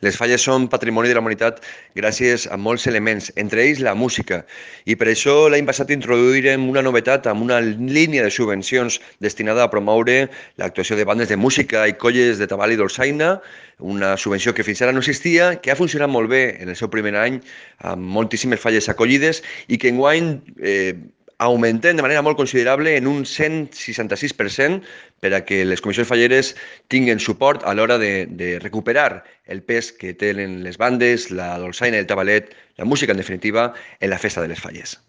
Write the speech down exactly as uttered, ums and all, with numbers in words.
Les falles són patrimoni de la humanitat gràcies a molts elements, entre ells la música. I per això l'any passat introduirem una novetat amb una línia de subvencions destinada a promoure l'actuació de bandes de música i colles de tabal i dolçaina, una subvenció que fins ara no existia, que ha funcionat molt bé en el seu primer any, amb moltíssimes falles acollides i que enguany eh, augmentem de manera molt considerable en un cent seixanta-sis per cent per a que les comissions falleres tinguin suport a l'hora de, de recuperar el pes que tenen les bandes, la dolçaina i el tabalet, la música en definitiva, en la festa de les falles.